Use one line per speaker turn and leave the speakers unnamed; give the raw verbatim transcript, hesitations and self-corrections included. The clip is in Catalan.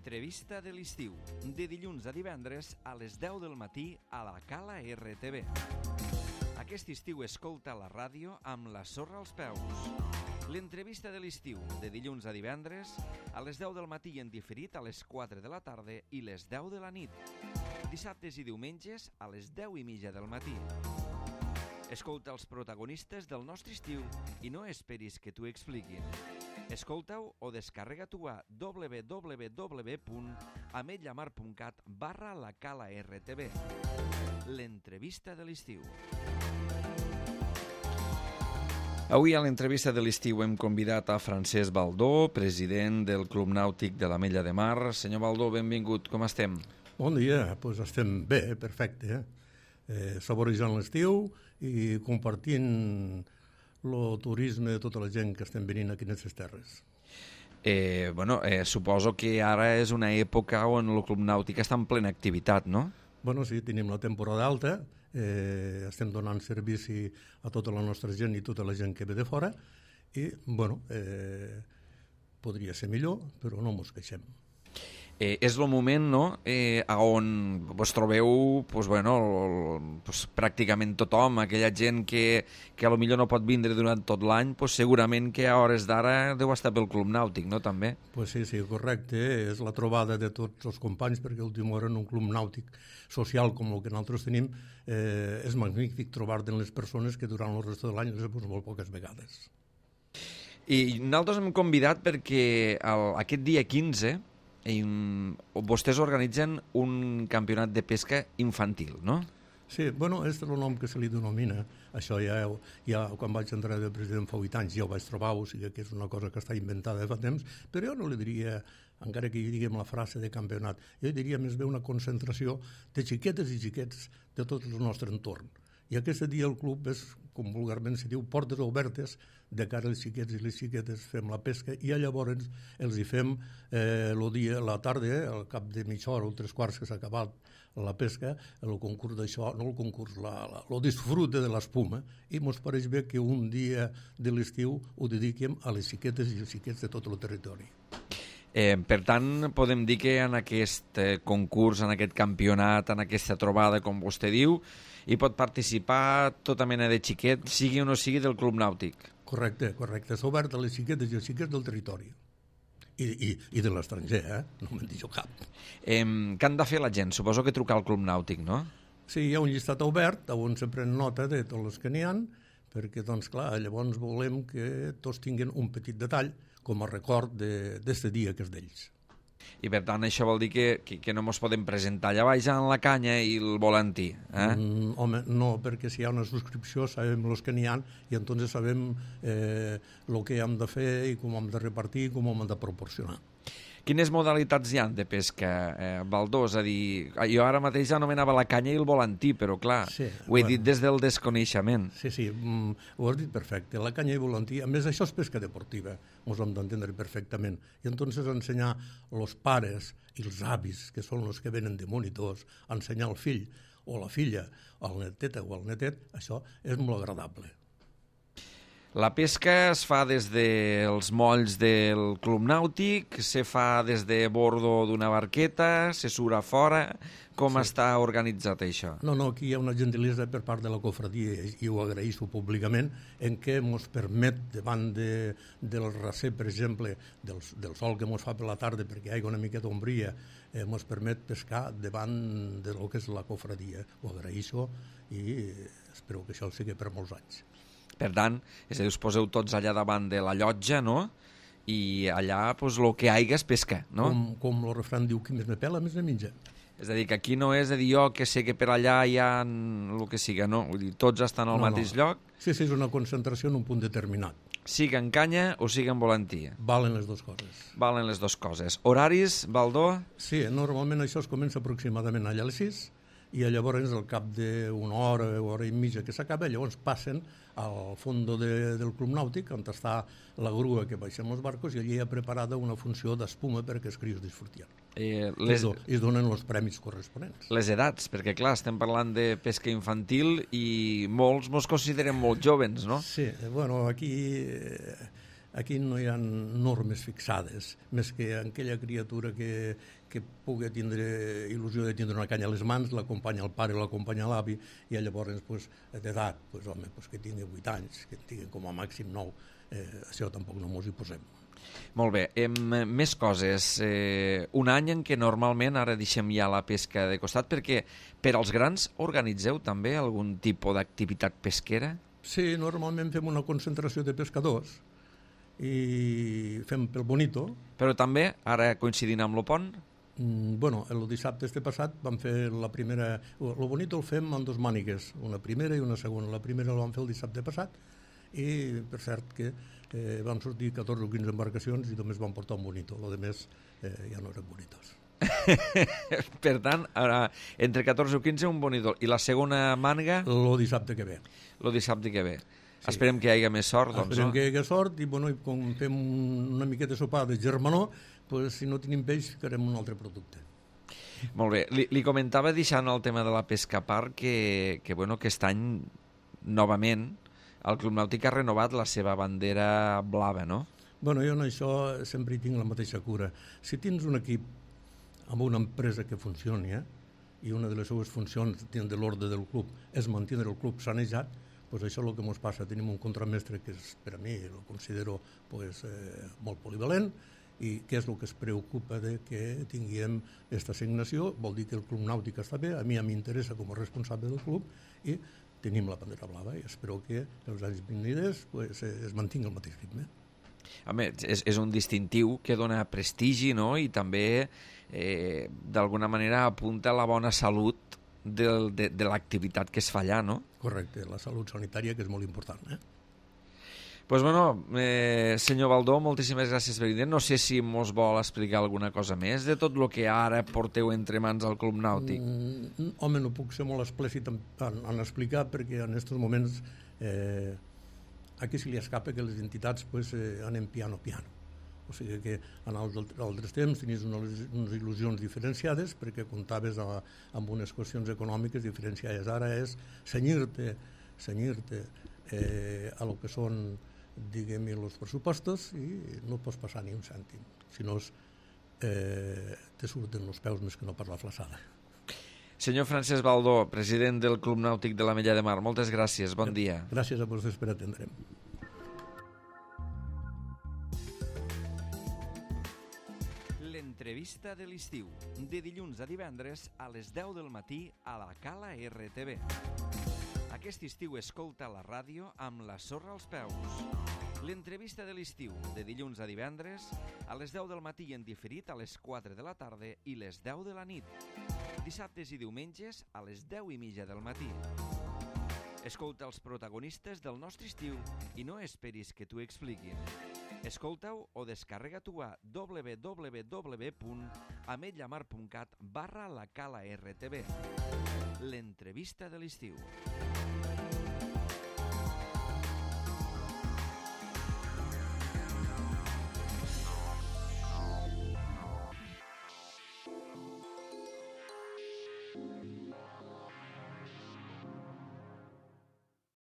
L'entrevista de l'estiu, de dilluns a divendres a les deu del matí a la Cala R T V. Aquest estiu escolta la ràdio amb la sorra als peus. L'entrevista de l'estiu, de dilluns a divendres a les deu del matí en diferit a les quatre de la tarda i les deu de la nit. Dissabtes i diumenges a les deu i mitja del matí. Escolta els protagonistes del nostre estiu i no esperis que t'ho expliquin. Escolta-ho o descarrega-t'ho a w w w punt ametlla mar punt cat barra la Cala R T V. L'entrevista de l'estiu. Avui a l'entrevista de l'estiu hem convidat a Francesc Baldó, president del Club Nàutic de l'Ametlla de Mar. Senyor Baldó, benvingut, com estem?
Bon dia, doncs estem bé, perfecte. Eh? Eh, saborejant l'estiu i compartint el turisme de tota la gent que estem venint aquí en aquestes terres.
Eh, bueno, eh, suposo que ara és una època on el Club Nàutic està en plena activitat, no?
Bueno, sí, tenim la temporada alta, eh, estem donant servici a tota la nostra gent i tota la gent que ve de fora i, bueno, eh, podria ser millor, però no mos queixem.
Eh, és el moment, no?, eh, on vos trobeu pues, bueno, pues, pràcticament tothom, aquella gent que, que potser no pot vindre durant tot l'any, pues, segurament que a hores d'ara deu estar pel Club Nàutic, no?, també?
Pues sí, sí, correcte. És la trobada de tots els companys, perquè últim hora en un club nàutic social com el que nosaltres tenim, eh, és magnífic trobar-te en les persones que durant el rest de l'any les veus molt poques vegades.
I nosaltres hem convidat perquè el, aquest dia quinze I, vostès organitzen un campionat de pesca infantil, no?
Sí, bueno, és el nom que se li denomina. Això ja, ja quan vaig entrar de president fa vuit anys ja ho vaig trobar, o sigui que és una cosa que està inventada fa temps, però jo no li diria, encara que hi diguem la frase de campionat, jo diria més bé una concentració de xiquetes i xiquets de tot el nostre entorn. I aquest dia el club és, com vulgarment se diu, portes obertes de cara als xiquets i les xiquetes, fem la pesca i llavors els hi fem eh, el dia, la tarda, eh, al cap de mitja hora o tres quarts que s'ha acabat la pesca, el concurs d'això, no el concurs, la, la, el disfrute de l'espuma, i mos pareix bé que un dia de l'estiu ho dediquem a les xiquetes i els xiquets de tot el territori.
Eh, per tant, podem dir que en aquest eh, concurs, en aquest campionat, en aquesta trobada, com vostè diu, hi pot participar tota mena de xiquet, sigui o no sigui del Club Nàutic.
Correcte, correcte. S'ha obert a les xiquetes i els xiquets del territori. I, i, i de l'estranger, eh? No me'n dic jo cap.
Eh, què han de fer la gent? Suposo que trucar al Club Nàutic, no?
Sí, hi ha un llistat obert on se pren nota de tots els que n'hi ha, perquè, doncs, clar, llavors volem que tots tinguin un petit detall com a record d'aquest dia que és d'ells.
I per tant això vol dir que, que, que no ens podem presentar allà baix en la canya i el volantí, eh?
Mm, home, no, perquè si hi ha una subscripció sabem els que n'hi ha i entonces sabem eh, el que hem de fer i com hem de repartir i com hem de proporcionar.
Quines modalitats hi ha de pesca, eh, Baldó? És a dir, jo ara mateix anomenava la canya i el volantí, però clar, sí, ho he bueno, dit des del desconeixement.
Sí, sí, mm, ho has dit perfecte. La canya i volantí, a més això és pesca deportiva, ens hem d'entendre perfectament. I entonces ensenyar els pares i els avis, que són els que venen de monitors, ensenyar al fill o la filla, al netet o al netet, això és molt agradable.
La pesca es fa des dels molls del Club Nàutic, se fa des de bordo d'una barqueta, se surt a fora. Com sí. Està organitzat això?
No, no, aquí hi ha una gentilesa per part de la cofradia i ho agraïsso públicament en què ens permet, davant de, del racer, per exemple, del, del sol que ens fa per la tarda perquè hi ha una miqueta ombria, eh, ens permet pescar davant de lo que és la cofradia. Ho agraïsso i espero que això sigui per molts anys.
Per tant, és a dir, us poseu tots allà davant de la llotja, no? I allà, doncs, el que haiga és pesca, no?
Com, com el refrany diu, qui més me pela, més me menja.
És a dir, que aquí no és a dir jo que sé que per allà hi ha el que siga, no? Vull dir, tots estan al no, mateix no. lloc.
Sí, sí, és una concentració en un punt determinat.
Siga en canya o siga en volantí.
Valen les dues coses.
Valen les dues coses. Horaris, Baldó?
Sí, normalment això es comença aproximadament allà a les sis i llavors al cap d'una hora o hora i mitja que s'acaba, llavors passen al fons de, del Club Nàutic on està la grua que baixem els barcos i allí hi ha preparada una funció d'espuma perquè els crios disfrutien.
Eh, les...
I es donen els premis corresponents.
Les edats, perquè clar, estem parlant de pesca infantil i molts mos considerem molt jovens, no?
Sí, bueno, aquí... Eh, aquí no hi ha normes fixades, més que aquella criatura que, que pugui tindre il·lusió de tindre una canya a les mans, l'acompanya el pare o l'acompanya l'avi, i llavors pues, d'edat, pues, home, pues, que tingui vuit anys, que tingui com a màxim nou, eh, això tampoc no mos hi posem.
Molt bé, em, més coses. Eh, un any en què normalment, ara deixem ja la pesca de costat, perquè per als grans organitzeu també algun tipus d'activitat pesquera?
Sí, normalment fem una concentració de pescadors i fem pel Bonito.
Però també, ara coincidint amb el pont?
Mm, bueno, el dissabte este passat vam fer la primera... El Bonito el fem amb dos mànigues, una primera i una segona. La primera la vam fer el dissabte passat i, per cert, que eh, vam sortir catorze o quinze embarcacions i només vam portar un Bonito. Lo de més eh, ja no eren bonitos.
Per tant, ara, entre catorze o quinze un Bonito. I la segona màniga?
El dissabte que ve.
El dissabte que ve. Sí. Esperem que hi hagi més sort, doncs,
Esperem
no?
que hi hagi sort i, bueno, i com fem una miqueta de sopar de germanor, pues, si no tenim peix, ficarem un altre producte.
Molt bé. Li, li comentava, deixant el tema de la pesca a part, que, que, bueno, que aquest any, novament, el Club Nàutic ha renovat la seva bandera blava, no?
Bueno, jo en això sempre hi tinc la mateixa cura. Si tens un equip amb una empresa que funcioni, eh, i una de les seves funcions dins de l'ordre del club és mantenir el club sanejat, pues això és el que ens passa. Tenim un contramestre que és, per a mi el considero pues, eh, molt polivalent, i què és el que es preocupa de que tinguem aquesta assignació. Vol dir que el Club Nàutic està bé, a mi m'interessa com a responsable del club, i tenim la bandera blava i espero que els anys vinguts pues, es mantingui el mateix ritme.
Home, és, és un distintiu que dona prestigi, no?, i també eh, d'alguna manera apunta a la bona salut de, de, de l'activitat que es fa allà, no?
Correcte, la salut sanitària, que és molt important, eh?
Pues bueno, eh, senyor Baldó, moltíssimes gràcies per venir. No sé si mos vol explicar alguna cosa més de tot el que ara porteu entre mans al Club Nàutic.
Mm, home, no puc ser molt explícit en, en, en explicar, perquè en aquests moments eh, aquí se li escapa que les entitats pues, eh, anem piano piano. O sigui que en altres temps tenies unes, unes il·lusions diferenciades perquè comptaves a, amb unes qüestions econòmiques diferenciades. Ara és senyir-te senyir-te eh, a lo que són, diguem, els pressupostos, i no pots passar ni un cèntim. Si no, eh, te surten els peus més que no per la flaçada.
Senyor Francesc Baldó, president del Club Nàutic de l'Ametlla de Mar, moltes gràcies, bon dia.
Gràcies a vosaltres per atendre'm.
L'entrevista de l'estiu, de dilluns a divendres a les deu del matí a la Cala R T V. Aquest estiu escolta la ràdio amb la sorra als peus. L'entrevista de l'estiu, de dilluns a divendres a les deu del matí i en diferit a les quatre de la tarda i les deu de la nit. Dissabtes i diumenges a les deu i mitja del matí. Escolta els protagonistes del nostre estiu i no esperis que t'ho expliquin. Escolta-ho o descarrega-t'ho a w w w punt ametlla mar punt cat barra la cala R T V. L'entrevista de l'estiu.